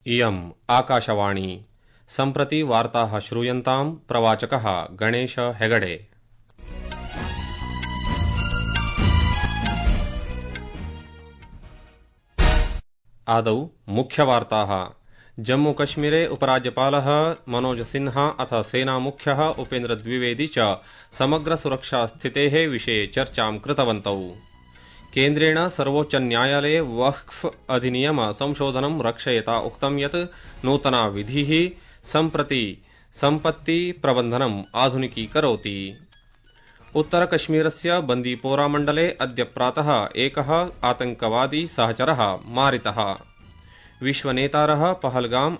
इयम् आकाशवाणी सम्प्रति वार्ताः श्रूयन्ताम् प्रवाचकः गणेश हेगडे। आदौ मुख्यवार्ताः। जम्मूकश्मीरे उपराज्यपालः मनोज सिन्हा अथ सेनामुख्यः उपेन्द्र द्विवेदी च समग्रसुरक्षास्थितेः विषये चर्चां कृतवन्तौ। केन्द्रेण सर्वोच्चन्यायालये वक्फ अधिनियम संशोधनं रक्षयता उक्तं यत् नूतना विधिः सम्प्रति सम्पत्ति प्रबन्धनम् आधुनिकीकरोति। उत्तरकश्मीरस्य बन्दीपोरा मण्डले अद्य प्रातः एकः आतंकवादी सहचरः मारितः। विश्वनेतारः पहलगाम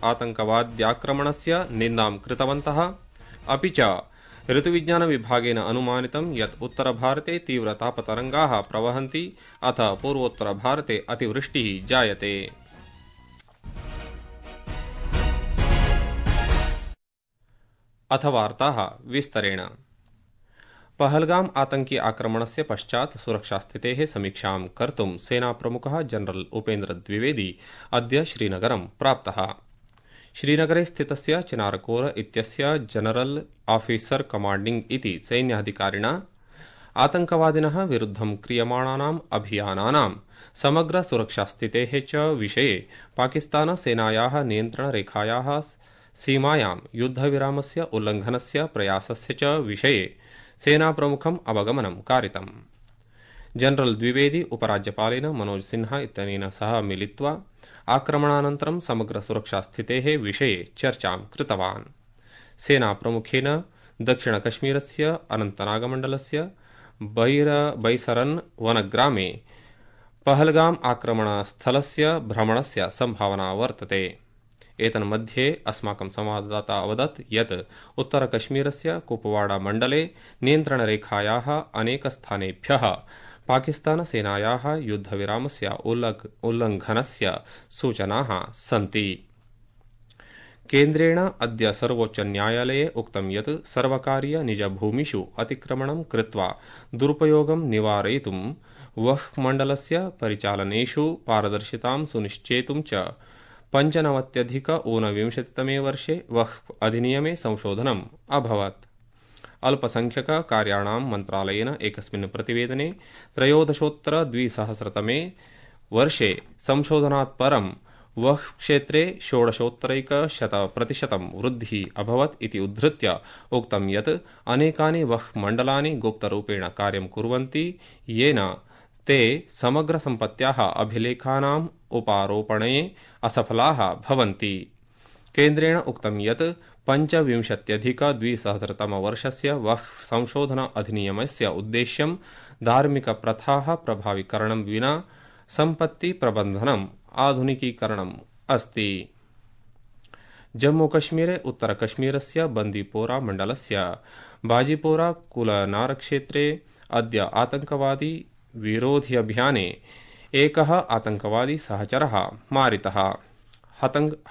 आतंकवाद्याक्रमणस्य निन्दां कृतवन्तः। अपि च ऋतुविज्ञान विभागेन अनुमानितं यत् उत्तरभारते तीव्रतापतरङ्गाः प्रवहन्ति अथ पूर्वोत्तरभारते अतिवृष्टिः जायते। अथ वार्ताः विस्तरेण। पहलगाम आतंकी आक्रमणस्य पश्चात् सुरक्षास्थितेः समीक्षां कर्तुं सेनाप्रमुखः जनरल उपेन्द्र द्विवेदी अद्य श्रीनगरं प्राप्तः। श्रीनगरे स्थितस्य चिनारकोर इत्यस्य जनरल ऑफिसर कमाण्डिंग इति सैन्याधिकारिणा आतंकवादिनः विरुद्धं क्रियमाणानाम् अभियानानां समग्र सुरक्षास्थितेः च विषये पाकिस्तान सेनायाः नियन्त्रणरेखायाः सीमायां युद्धविरामस्य उल्लंघनस्य प्रयासस्य च विषये सेनाप्रमुखम् अवगमनं कारितम्। जनरल द्विवेदी उपराज्यपालेन मनोज सिन्हा इत्यनेन सह मिलित्वा आक्रमणानन्तरं समग्र सुरक्षास्थितेः विषये चर्चां कृतवान्। सेनाप्रमुखेन दक्षिणकश्मीरस्य अनन्तनागमण्डलस्य बैसरन् वनग्रामे पहलगाम आक्रमणस्थलस्य भ्रमणस्य सम्भावना वर्तते। एतन्मध्ये अस्माकं संवाददाता अवदत् यत् उत्तरकश्मीरस्य कुपवाड़ा मण्डले नियन्त्रणरेखायाः अनेकस्थानेभ्यः पाकिस्तानसेनायाः युद्धविरामस्य उल्लंघनस्य सूचनाः सन्ति। केन्द्रेण अद्य सर्वोच्चन्यायालये उक्तं यत् सर्वकारीय निजभूमिषु अतिक्रमणं कृत्वा दुरुपयोगं निवारयितुं वक्फ मण्डलस्य परिचालनेषु पारदर्शितां सुनिश्चेतुं च 95-ऊनविंशतितमे वर्षे वक्फ अधिनियमे संशोधनम् अभवत्। अल्पसंख्यक कार्याणां मन्त्रालयेन एकस्मिन् प्रतिवेदने 13-द्विसहस्रतमे वर्षे संशोधनात् परं वक्फ क्षेत्रे 16% वृद्धिः अभवत् इति उद्धृत्य उक्तं यत् अनेकानि वक्फ मण्डलानि गुप्तरूपेण कार्यं कुर्वन्ति येन ते समग्रसम्पत्त्याः अभिलेखानाम् उपारोपणे असफलाः भवन्ति। केन्द्रेण उक्तं यत् 25-द्विसहस्रतमवर्षस्य वक्फ संशोधन अधिनियमस्य उद्देश्यं धार्मिकप्रथाः प्रभावीकरणं विना सम्पत्तिप्रबन्धनम् आधुनिकीकरणम् अस्ति। जम्मूकश्मीरे उत्तरकश्मीरस्य बन्दीपोरा मण्डलस्य बाजीपोरा कुलनारक्षेत्रे अद्य आतंकवादी विरोधि अभियाने एकः आतंकवादी सहचरः मारितः।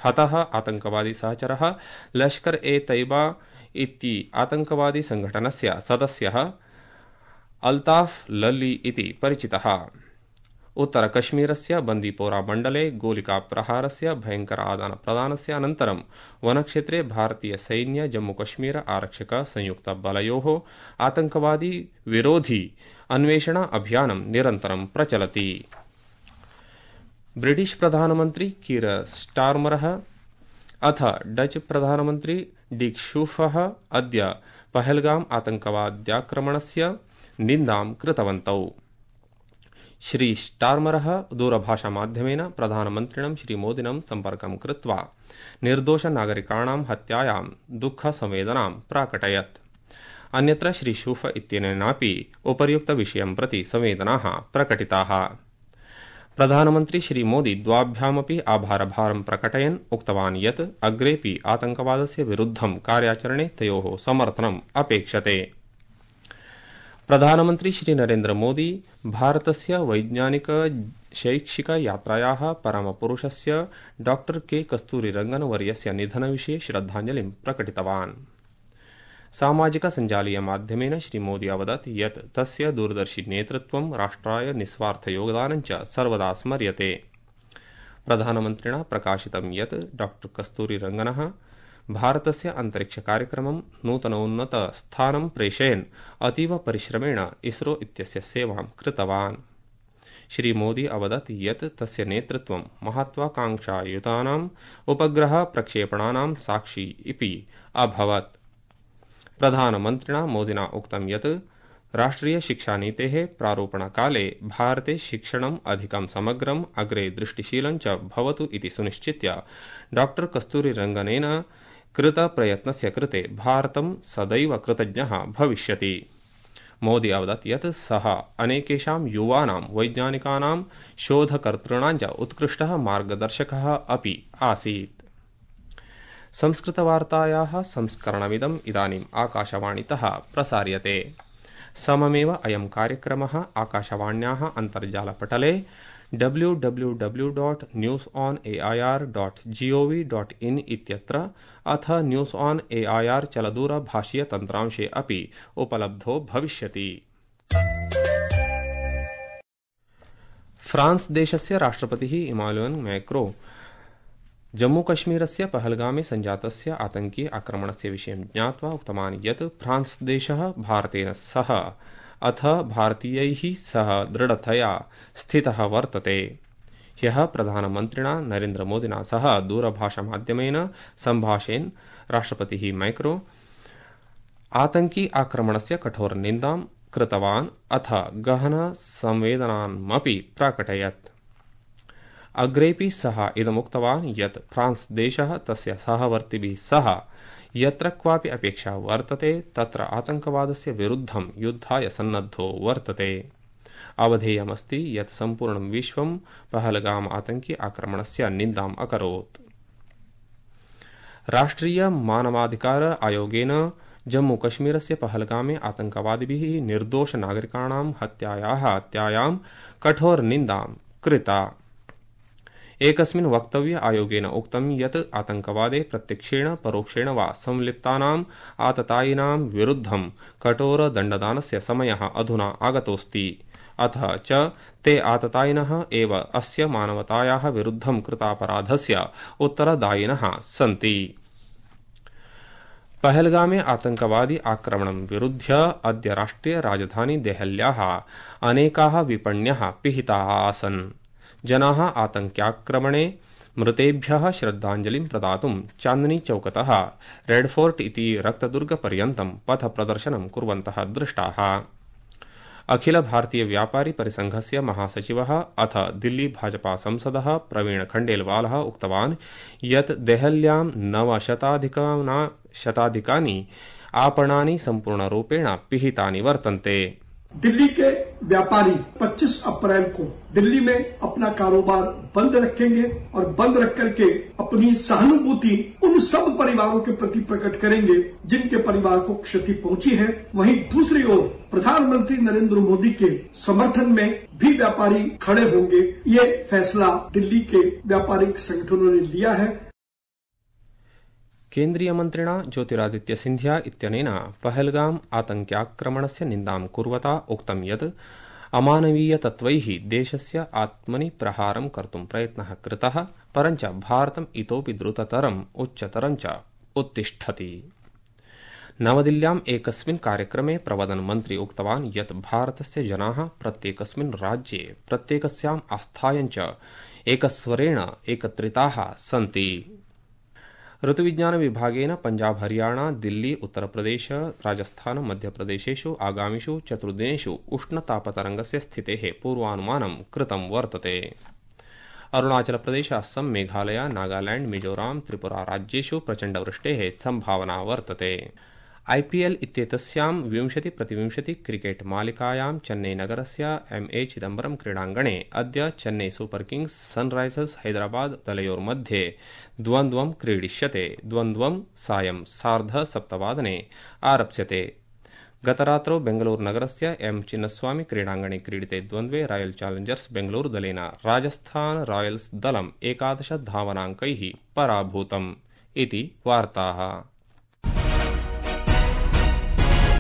हतः आतंकवादी सहचरः लश्कर ए तैयबा इति आतंकवादी संघटनस्य सदस्यः अल्ताफ लल्ली इति परिचितः। उत्तरकश्मीरस्य बन्दीपोरा मण्डले गोलिकाप्रहारस्य भयंकर आदानप्रदानस्य अनन्तरं वनक्षेत्रे भारतीय सैन्य जम्मूकश्मीर आरक्षक संयुक्त बलयोः आतंकवादी विरोधी अन्वेषण अभियानं निरन्तरं प्रचलति। ब्रिटिश प्रधानमन्त्री कीर स्टार्मरः अथ डच प्रधानमन्त्री डिक शूफः अद्य पहलगाम आतंकवाद्याक्रमणस्य निन्दां कृतवन्तौ। श्री स्टार्मरः दूरभाषामाध्यमेन प्रधानमन्त्रिणं श्रीमोदिनं सम्पर्कं कृत्वा निर्दोषनागरिकाणां हत्यायां दुःखसंवेदनां प्राकटयत्। अन्यत्र श्री शूफ इत्यनेनापि उपर्युक्तविषयं प्रति संवेदनाः प्रकटिताः। प्रधानमन्त्री श्रीमोदी द्वाभ्यामपि आभारभारं प्रकटयन् उक्तवान् यत् अग्रेपि आतंकवादस्य विरुद्धं कार्याचरणे तयोः समर्थनम् अपेक्षते। प्रधानमन्त्री श्री नरेन्द्र मोदी भारतस्य वैज्ञानिक शैक्षिक यात्रायाः परमपुरुषस्य डॉ के कस्तूरीरंगन वर्यस्य निधनविषये श्रद्धाञ्जलिं प्रकटितवान्। सामाजिक संजालीय माध्यमेन श्रीमोदी अवदत् यत् तस्य दूरदर्शी नेतृत्वं राष्ट्राय निस्वार्थ योगदानं च सर्वदा स्मर्यते। प्रधानमन्त्रिणा प्रकाशितं यत् डॉ कस्तूरीरंगनः भारतस्य अन्तरिक्षकार्यक्रमं नूतनोन्नतस्थानं प्रेषयन् अतीव परिश्रमेण इसरो इत्यस्य सेवां कृतवान्। श्रीमोदी अवदत् यत् तस्य नेतृत्वं महत्वाकांक्षायुतानाम् उपग्रह प्रक्षेपणानां साक्षी इति अभवत्। प्रधानमन्त्रिणा मोदिना उक्तं यत् राष्ट्रिय शिक्षानीतेः प्रारूपणकाले भारते शिक्षणम् अधिकं समग्रम् अग्रे दृष्टिशीलं च भवतु इति सुनिश्चित्य डॉ कस्तूरीरंगनेन कृतप्रयत्नस्य कृते भारतं सदैव कृतज्ञः भविष्यति। मोदी अवदत् यत् सः अनेकेषां युवानां वैज्ञानिकानां शोधकर्तॄणां च उत्कृष्टः मार्गदर्शकः अपि आसीत्। संस्कृतवार्तायाः संस्करणमिदम् इदानीम् आकाशवाणीतः प्रसार्यते। सममेव अयं कार्यक्रमः आकाशवाण्याः अन्तर्जालपटले www.newsonair.gov.in इत्यत्र अथ न्यूस् ऑन एआईआर चलदूरभाषीय तन्त्रांशे अपि उपलब्धो भविष्यति। फ्रांस देशस्य राष्ट्रपतिः इमानुएल मैक्रो जम्मूकश्मीरस्य पहलगामे सञ्जातस्य आतंकी आक्रमणस्य विषयं ज्ञात्वा उक्तवान् यत् फ्रांस देशः भारतेन सह अथ भारतीयैः सह दृढतया स्थितः वर्तते। ह्यः प्रधानमन्त्रिणा नरेन्द्रमोदिना सह दूरभाषामाध्यमेन सम्भाषेन राष्ट्रपतिः मैक्रो आतंकी आक्रमणस्य कठोरनिन्दां कृतवान् अथ गहन संवेदनामपि प्राकटयत्। अग्रेपि सः इदमुक्तवान् यत् फ्रांस देशः तस्य सहवर्तिभिः सह यत्र क्वापि अपेक्षा वर्तते तत्र आतंकवादस्य विरुद्धं युद्धाय सन्नद्धो वर्तते। अवधेयमस्ति यत् सम्पूर्णं विश्वं पहलगाम आतंकी आक्रमणस्य निन्दाम् अकरोत्। राष्ट्रिय मानवाधिकार आयोगेन जम्मूकश्मीरस्य पहलगामे आतंकवादिभिः निर्दोष नागरिकाणां हत्यायां कठोरनिन्दां कृता। एकस्मिन् वक्तव्ये आयोगेन उक्तं यत् आतंकवादे प्रत्यक्षेण परोक्षेण वा संलिप्तानाम् आततायिनां विरुद्धं कठोर दण्डदानस्य समयः अधुना आगतोऽस्ति। अथ च ते आततायिनः एव अस्य मानवतायाः विरुद्धं कृतापराधस्य उत्तरदायिनः सन्ति। पहलगामे आतंकवादी आक्रमणं विरुध्य अद्य राष्ट्रिय राजधानी देहल्याः अनेकाः विपण्यः पिहिताः आसन्। जनाः आतंक्याक्रमणे मृतेभ्यः श्रद्धाञ्जलिं प्रदातुं चान्दनी चौकतः रेड फोर्ट इति रक्तदुर्गपर्यन्तं पथप्रदर्शनं कुर्वन्तः दृष्टाः। अखिल भारतीय व्यापारी परिसंघस्य महासचिवः अथ दिल्ली भाजपा संसदः प्रवीण खण्डेलवालः उक्तवान् यत् देहल्यां 900 आपणानि संपूर्णरूपेण पिहितानि वर्तन्ते। दिल्ली के व्यापारी 25 अप्रैल को दिल्ली में अपना कारोबार बंद रखेंगे और बंद रख करके अपनी सहानुभूति उन सब परिवारों के प्रति प्रकट करेंगे जिनके परिवार को क्षति पहुंची है। वहीं दूसरी ओर प्रधानमंत्री नरेंद्र मोदी के समर्थन में भी व्यापारी खड़े होंगे। ये फैसला दिल्ली के व्यापारिक संगठनों ने लिया है। केन्द्रीय मन्त्रिणा ज्योतिरादित्य सिन्धिया इत्यनेन पहलगाम आतंक्याक्रमणस्य निन्दां कुर्वता उक्तं यत् अमानवीयतत्त्वैः देशस्य आत्मनि प्रहारं कर्तुं प्रयत्नः कृतः, परञ्च भारतम् इतोपि द्रुततरम् उच्चतरं च उत्तिष्ठति। नवदिल्ल्याम् एकस्मिन् कार्यक्रमे प्रवदनमन्त्री उक्तवान् यत् भारतस्य जनाः प्रत्येकस्मिन् राज्ये प्रत्येकस्याम् आस्थायां च एकस्वरेण एकत्रिताः सन्ति। ऋतुविज्ञान विभागेन पंजाब हरियाणा दिल्ली उत्तरप्रदेश राजस्थान मध्यप्रदेशेषु आगामिषु 4 दिनेषु उष्णतापतरंगस्य स्थितेः पूर्वानुमानं कृतं वर्तते। अरुणाचलप्रदेश असम मेघालय नागालैंड मिजोराम त्रिपुरा राज्येषु प्रचण्डवृष्टेः संभावना वर्तते। आईपीएल इत्येतस्यां 20-20 क्रिकेट मालिकायां चेन्नईनगरस्य एमए चिदम्बरम क्रीडाङ्गणे अद्य Chennai super Kings Sunrisers Hyderabad दलयोर्मध्ये द्वन्द्वं क्रीडिष्यते। द्वन्द्वं सायं 7:30 आरप्स्यते। गतरात्रौ बेंगलुरुनगरस्य एम चिन्नस्वामी क्रीडाङ्गणे क्रीडिते द्वन्द्वे रॉयल चैलेंजर्स बेंगलुरु दलेन राजस्थान रॉयल्स दलम् 11 धावनाङ्कैः पराभूतम् इति वार्ताः।